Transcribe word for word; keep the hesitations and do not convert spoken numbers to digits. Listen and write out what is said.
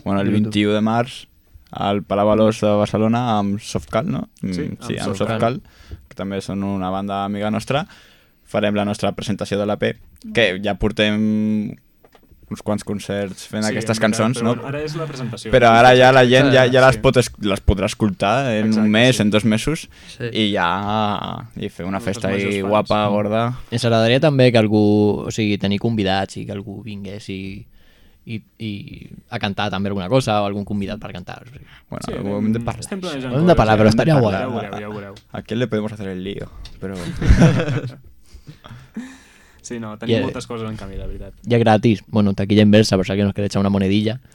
Bueno, el vint-i-u de març al Palau Alós de Barcelona amb Softcal, no? Sí, sí amb amb Softcal, que també són una banda amiga nostra. Farem la nostra presentació de l'E P, que ja portem uns quants concerts fent Sí, aquestes veritat, cançons, però no? bueno, ara és la presentació. Però ara ja la gent ja, ja les, Sí. pot, es- les podrà escoltar en Exacte, un mes, sí. en dos mesos, Sí. i ja i fer una Els festa majors ahí fans. guapa, gorda. Ens agradaria també que algú, o sigui, tenir convidats i que algú vingués i, i, i a cantar també alguna cosa o algun convidat per cantar. O sigui. Bueno, Sí, ho hem de parlar. estem planejant Ho hem de parlar, coses, però eh? estaria Hem de guai. parlar, Ja ho veureu, ja ho veureu. ¿A quién le podemos hacer el lío? Pero... Sí, no, tenim I, eh, moltes coses en canvi, la veritat. Ja gratis, bueno, taquilla inversa, per si alguien nos quiere echar una monedilla.